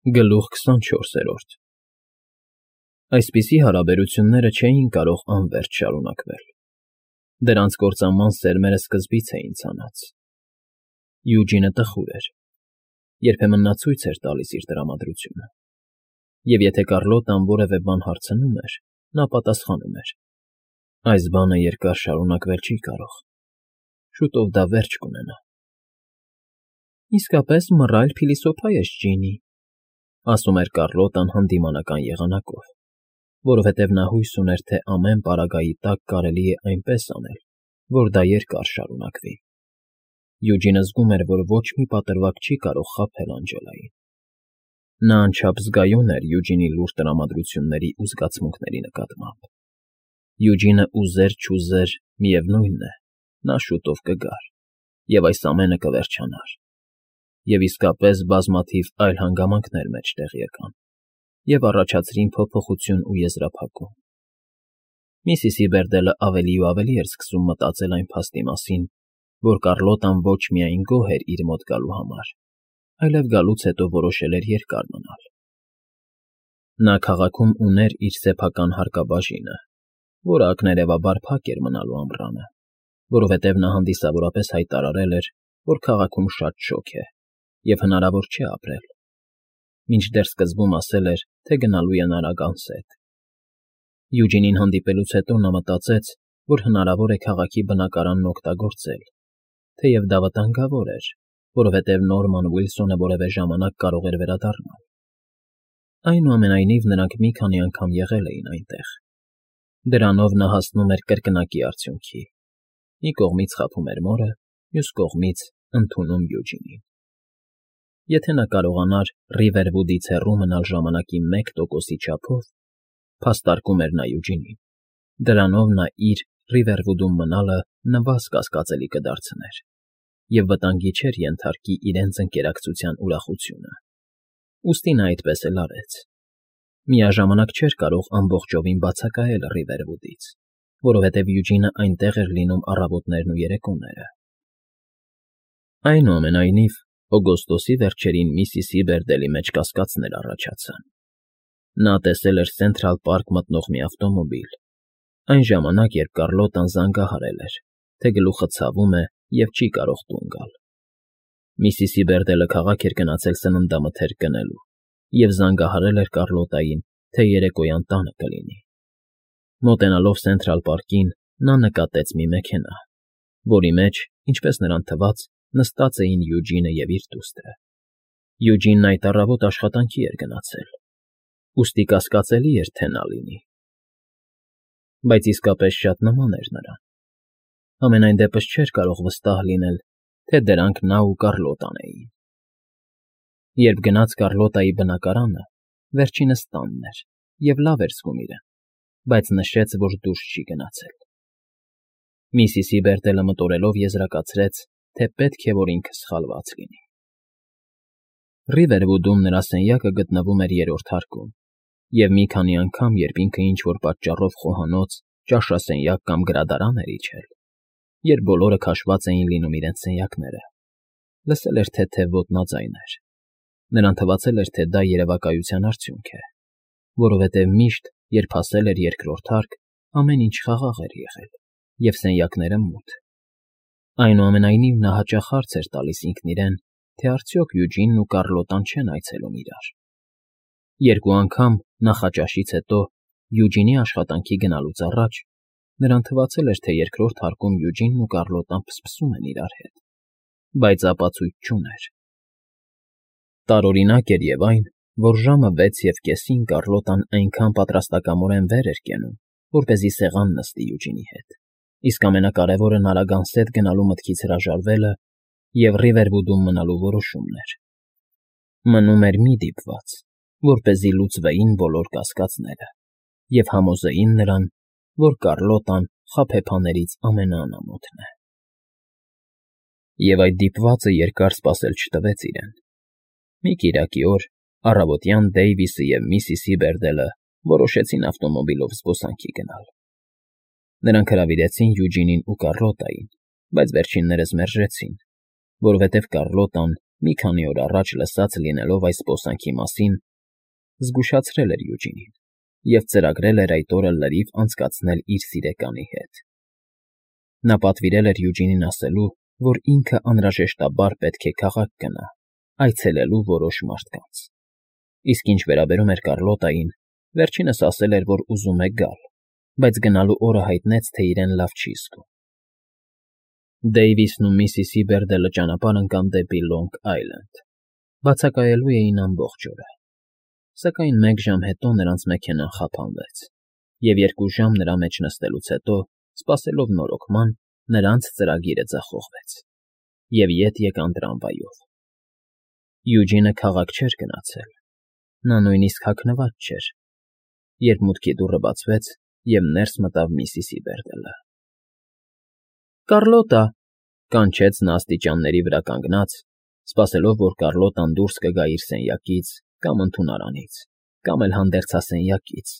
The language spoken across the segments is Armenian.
Գլուխ 24 Այսպիսի հարաբերությունները չէին կարող անվերջ շարունակվել. դրանց կործանման սերմերը սկզբից էին ցանած։ Յուջինը տխուր էր, երբեմն նա ցույց էր տալիս իր տրամադրությունը, և եթե Կարլոտան որևէ բան հարցնում էր, նա պատասխանում էր. այս բանը երկար շարունակվել չի կարող, շուտով դա վերջ կունենա։ Իսկապես մռայլ փիլիսոփա ես, Ջինի, ասում էր Կարլոտան հանդիմանական եղանակով, որովհետև նա հույս ուներ, թե ամեն պարագայի տակ կարելի է այնպես անել, որ դա երկար շարունակվի։ Յուջինը զգում էր, որ ոչ մի պատրվակ չի կարող խաբել Անջելային։ Նա անչափ զգայուն էր Յուջինի լուռ տրամադրությունների ու զգացմունքների նկատմամբ։ Յուջինը ուզեր-չուզեր, միևնույն է, նա շուտով կգար, և այս ամենը կվերջանար։ Եվ իսկապես բազմաթիվ այլ հանգամանքներ մեջտեղ եկան և առաջացրին փոփոխություն ու եզրափակում։ Միսիսի Բերդելը ավելի ու ավելի էր սկսում մտածել այն փաստի մասին, որ Կարլոտան ոչ միայն գոհ էր իր մոտ գալու համար, այլև գալուց հետո որոշել էր երկար մնալ։ Նա քաղաքում ուներ իր սեփական հարկաբաժինը, որը ակներևաբար փակ էր մնալու ամռանը, որովհետև նա հանդիսավորապես հայտարարել էր, որ քաղաքում շատ շոգ է և հնարավոր չէ ապրել, մինչդեռ սկզբում ասել էր, թե գնալու է նարագանս հետ։ Յուջինին հանդիպելուց հետո նա մտածեց, որ հնարավոր է քաղաքի բնակարանն օգտագործել, թեև դա վտանգավոր էր, որովհետև Նորման Ուիլսոնը որևէ ժամանակ կարող էր վերադառնալ։ Այնուամենայնիվ նրանք մի քանի անգամ եղել էին այնտեղ։ Դրանով նա հասնում էր կրկնակի արդյունքի. մի կողմից խաբում էր մորը, մյուս կողմից ընդունում Յուջինին։ Եթե նա կարողանար Ռիվերվուդից հեռու մնալ ժամանակի 1%-ի չափով, փաստարկում էր նա Յուջինին, դրանով նա իր Ռիվերվուդում մնալը նվազ կասկածելի կդարձներ, և վտանգի չէր ենթարկի իրենց ընկերակցության ուրախությունը։ Ուստի նա այդպես էլ արեց։ Միաժամանակ չէր կարող ամբողջովին բացակայել Ռիվերվուդից, որովհետև Յուջինը այնտեղ էր լինում առավոտներն ու երեկոները։ Այնուամենայնիվ, օգոստոսի վերջերին Միսիսի Բերդելի մեջ կասկածներ առաջացան։ Նա տեսել էր Սենթրալ Պարկ մտնող մի ավտոմոբիլ, այն ժամանակ, երբ Կարլոտան զանգահարել էր, թե գլուխը ցավում է և չի կարող տուն գալ։ Միսիսի Բերդելը քաղաք էր գնացել սննդամթերք գնելու և զանգահարել էր Կարլոտային, թե երեկոյան տանը կլինի։ Մոտենալով Սենթրալ Պարկին, նա նկատեց մի մեքենա, որի մեջ, ինչպես նրան թվաց, նստած էին Յուջինը և իր դուստրը։ Յուջինն այդ առավոտ աշխատանքի էր գնացել, ուստի կասկածելի էր, թե նա լինի։ Բայց իսկապես շատ նման էր նրան։ Համենայն դեպս չէր կարող վստահ լինել, թե դրանք նա ու Կարլոտան էին։ Երբ գնաց Կարլոտայի բնակարանը, վերջինս տանն էր և լավ էր զգում իրեն, բայց նշեց, որ դուրս չի գնացել։ Միսիսի Բերդելը մտորելով եզրակացրեց, թե պետք է, որ ինքը սխալված լինի։ Ռիվերվուդում նրա սենյակը գտնվում էր 3-րդ հարկում, և մի քանի անգամ, երբ ինքը ինչ֊որ պատճառով խոհանոց, ճաշասենյակ կամ գրադարան էր իջել, երբ բոլորը քաշված էին լինում իրենց սենյակները, լսել էր թեթև ոտնաձայներ։ Նրան թվացել էր, թե դա երևակայության արդյունք է, որովհետև միշտ, երբ հասել էր 2-րդ հարկ, ամեն ինչ խաղաղ էր եղել, և սենյակները մութ։ Այնուամենայնիվ նա հաճախ հարց էր տալիս ինքն իրեն, թե արդյոք Յուջինն ու Կարլոտան չեն այցելում իրար։ Երկու անգամ, նախաճաշից հետո, Յուջինի աշխատանքի գնալուց առաջ, նրան թվացել էր, թե 2-րդ հարկում Յուջինն ու Կարլոտան փսփսում են իրար հետ, բայց ապացույց չուներ։ Տարօրինակ էր և այն, որ ժամը 6:30-ին Կարլոտան այնքան պատրաստակամորեն վեր էր կենում, որպեսզի սեղան նստի Յուջինի հետ, իսկ ամենակարևորը նարագանսետ գնալու մտքից հրաժարվելը և Ռիվերվուդում մնալու որոշումն էր։ Մնում էր մի դիպված, որպեսզի լուծվեին բոլոր կասկածները և համոզեին նրան, որ Կարլոտան խաբեբաներից ամենաանամոթն է։ Եվ այդ դիպվածը երկար սպասել չտվեց իրեն։ Մի կիրակի օր առավոտյան Դեյվիսը և Միսիսի Բերդելը որոշեցին ավտոմոբիլով զբոսանքի գնալ։ Նրանք հրավիրեցին Յուջինին ու Կարլոտային, բայց վերջիններս մերժեցին, որովհետև Կարլոտան մի քանի օր առաջ լսած լինելով այս զբոսանքի մասին, զգուշացրել էր Յուջինին և ծրագրել էր այդ օրը լրիվ անցկացնել իր սիրեկանի հետ։ Նա պատվիրել էր Յուջինին ասելու, որ ինքը անհրաժեշտաբար պետք է քաղաք գնա, այցելելու որոշ մարդկանց։ Իսկ ինչ վերաբերում էր Կարլոտային, վերջինս ասել էր, որ ուզում է գալ, բայց գնալու օրը հայտնեց, թե իրեն լավ չի զգում։ Դեյվիսն ու Միսիսի Բերդելը ճանապարհ ընկան դեպի Լոնգ Այլենդ, բացակայելու էին ամբողջ օրը։ Սակայն 1 ժամ հետո նրանց մեքենան խափանվեց, և 2 ժամ նրա մեջ նստելուց հետո, սպասելով նորոգման, նրանց ծրագիրը ձախողվեց, և ետ եկան տրամվայով։ Յուջինը քաղաք չէր գնացել, նա նույնիսկ հագնված չէր, երբ մուտքի դուռը բացվեց, և ներս մտավ Միսիսի Բերդելը։ «Կառլոտա», կանչեց նա աստիճանների վրա կանգնած, սպասելով, որ Կառլոտան դուրս կգա իր սենյակից կամ ընդունարանից, կամ էլ հանդերձասենյակից,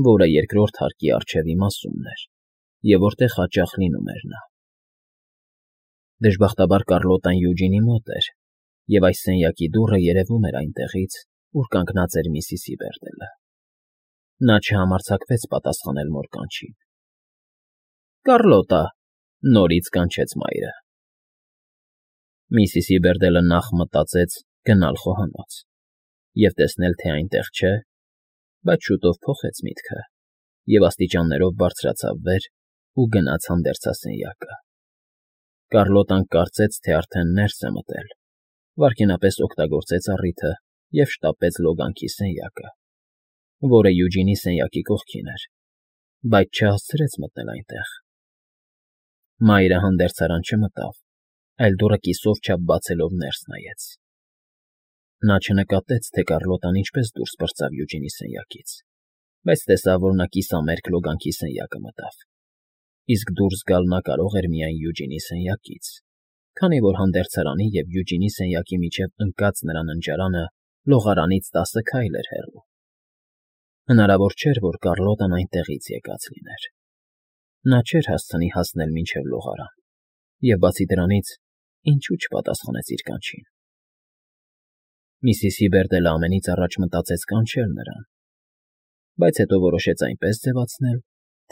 որը երկրորդ հարկի առջև իմասումն էր, և որտեղ հաճախ լինում էր նա։ Դժբախտաբար Կառլոտան Յուջինի մոտ էր, և այս սենյակի դուռը երևում էր այնտեղից, ուր կանգնած էր Միսիսի Բերդելը։ Նա չհամարձակվեց պատասխանել մոր կանչին։ «Կառլոտա», նորից կանչեց մայրը։ Միսիսի Բերդելը նախ մտածեց գնալ խոհանոց և տեսնել, թե այնտեղ չէ, բայց շուտով փոխեց միտքը և աստիճաններով բարձրացավ վեր ու գնաց հանդերձասենյակը։ Կառլոտան կարծեց, թե արդեն ներս է մտել, վայրկենապես օգտագործեց առիթը և շտապեց լոգանքի սենյակը, որը Յուջինի սենյակի կողքին էր, բայց չհասցրեց մտնել այնտեղ։ Մայրը հանդերձարան չմտավ, այլ դուռը կիսով չափ բացելով ներս նայեց։ Նա չնկատեց, թե Կառլոտան ինչպես դուրս պրծավ Յուջինի սենյակից, բայց տեսավ, որ նա կիսամերկ լոգանքի սենյակը մտավ, իսկ դուրս գալ նա կարող էր միայն Յուջինի սենյակից, քանի որ հանդերձարանի և Յուջինի սենյակի միջև ընկած նրա ննջարանը լողարանից 10 քայլ էր հեռու։ Հնարավոր չէր, որ Կառլոտան այնտեղից եկած լիներ։ Նա չէր հասցնի հասնել մինչև լողարան, և բացի դրանից, ինչու չպատասխանեց իր կանչին։ Միսիսի Բերդելը ամենից առաջ մտածեց կանչել նրան, բայց հետո որոշեց այնպես ձևացնել,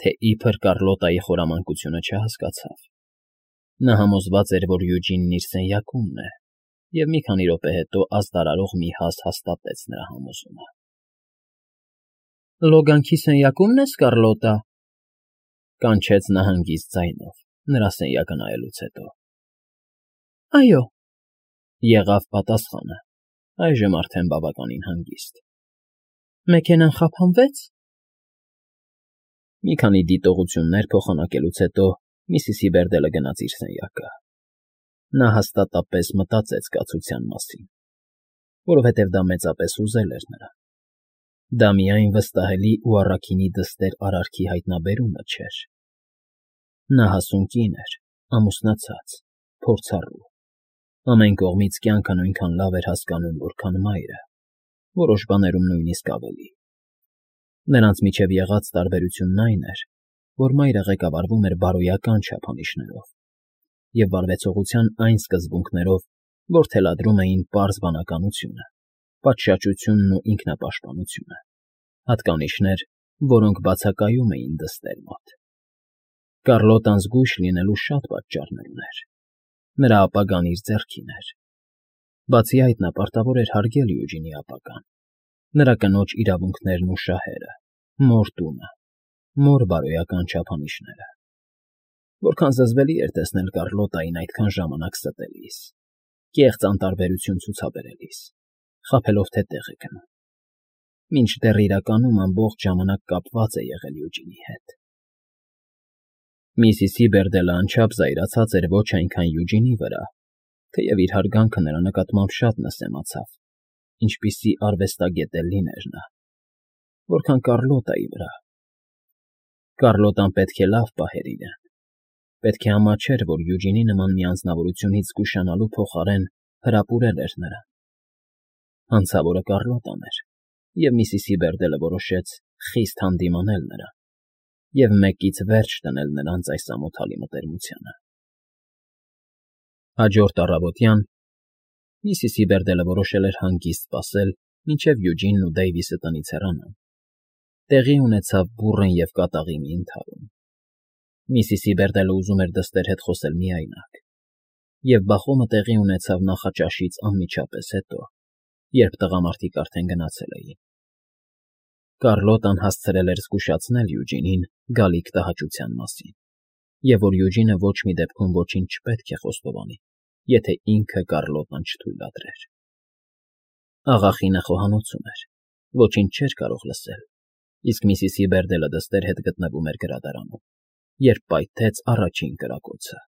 թե իբր Կառլոտայի խորամանկությունը չհասկացավ։ Նա համոզված էր, որ Յուջինն իր սենյակումն է, և մի քանի րոպե հետո ազդարարող մի հազ հաստատեց նրա համոզումը։ «Լոգանքի սենյակումն ես, Կառլոտա», կանչեց նա հանգիստ ձայնով, նրա սենյակը նայելուց հետո։ «Այո», եղավ պատասխանը, այժմ արդեն բավականին հանգիստ։ «Մեքենան խափանվեց»։ Մի քանի դիտողություններ փոխանակելուց հետո Միսիսի Բերդելը գնաց իր սենյակը։ Նա հաստատապես մտածեց կացության մասին, որովհետև դա մեծապես հուզել էր նրան։ Դա միայն վստահելի ու առաքինի դստեր արարքի հայտնաբերումը չէր։ Նա հասուն կին էր, ամուսնացած, փորձառու, ամեն կողմից կյանքը նույնքան լավ էր հասկանում, որքան մայրը, որոշ բաներում նույնիսկ ավելի։ Նրանց միջև եղած տարբերությունն այն էր, որ մայրը ղեկավարվում էր բարոյական չափանիշներով և վարվեցողության այն սկզբունքներով, որ թելադրում էին պարզ բանականությունը, պատշաճությունն ու ինքնապաշտպանությունը, հատկանիշներ, որոնք բացակայում էին դստեր մոտ։ Կառլոտան զգույշ լինելու շատ պատճառներ ուներ։ Նրա ապագան իր ձեռքին էր։ Բացի այդ, նա պարտավոր էր հարգել Յուջինի ապագան, նրա կնոջ իրավունքներն ու շահերը, մոր տունը, մոր բարոյական չափանիշները։ Որքան զզվելի էր տեսնել Կառլոտային այդքան ժամանակ ստելիս, կեղծ անտարբերություն ցուցաբերելիս, խաբելով, թե տեղ է գնում, մինչդեռ իրականում ամբողջ ժամանակ կապված է եղել Յուջինի հետ։ Միսիսի Բերդելը անչափ զայրացած էր ոչ այնքան Յուջինի վրա, թեև իր հարգանքը նրա նկատմամբ շատ նսեմացավ, ինչպիսի արվեստագետ էլ լիներ նա, որքան Կառլոտայի վրա։ Կառլոտան պետք է լավ պահեր իրեն, պետք է ամաչեր, որ Յուջինի նման մի անձնավորությունից զգուշանալու փոխարեն հրապուրել էր նրան։ Հանցավորը Կառլոտան էր, և Միսիսի Բերդելը որոշեց խիստ հանդիմանել նրան և մեկից վերջ դնել նրանց այս ամոթալի մտերմությանը։ Հաջորդ առավոտյան Միսիսի Բերդելը որոշել էր հանգիստ սպասել, մինչև Յուջինն ու Դեյվիսը տնից հեռանան։ Տեղի ունեցավ բուռն և կատաղի մի ընդհարում։ Միսիսի Բերդելը ուզում էր դստեր հետ խոսել միայնակ, և բախոմը տեղի ունեցավ նախաճաշից անմիջապես հետո, երբ տղամարդիկ արդեն գնացել էին։ Կարլոտան հասցրել էր զգուշացնել Յուջինին գալիք տհաճության մասին, և որ Յուջինը ոչ մի դեպքում ոչինչ չպետք է խոստովանի, եթե ինքը Կարլոտան չթույլատրեր։ Աղախինը խոհանոցում էր, ոչինչ չէր կարող լսել, իսկ Միսիսի Բերդելը դստեր հետ գտնվում էր գրադարանում, երբ պայթեց առաջին կրակոցը։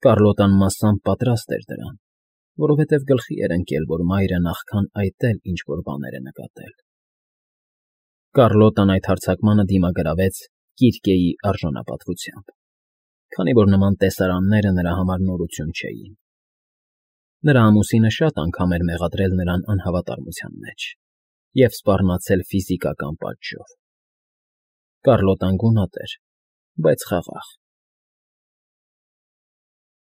Կարլոտան մասամբ պատրաստ էր դրան, որովհետև գլխի էր ընկել, որ մայրը նախքան այդ էլ ինչ֊որ բաներ է նկատել։ Կարլոտան այդ հարձակմանը դիմագրավեց Կիրկեի արժանապատվությամբ, քանի որ նման տեսարանները նրա համար նորություն չէին։ Նրա ամուսինը շատ անգամ էր մեղադրել նրան անհավատարմության մեջ և սպառնացել ֆիզիկական պատժով։ Կարլոտան գունատ էր, բայց խաղաղ։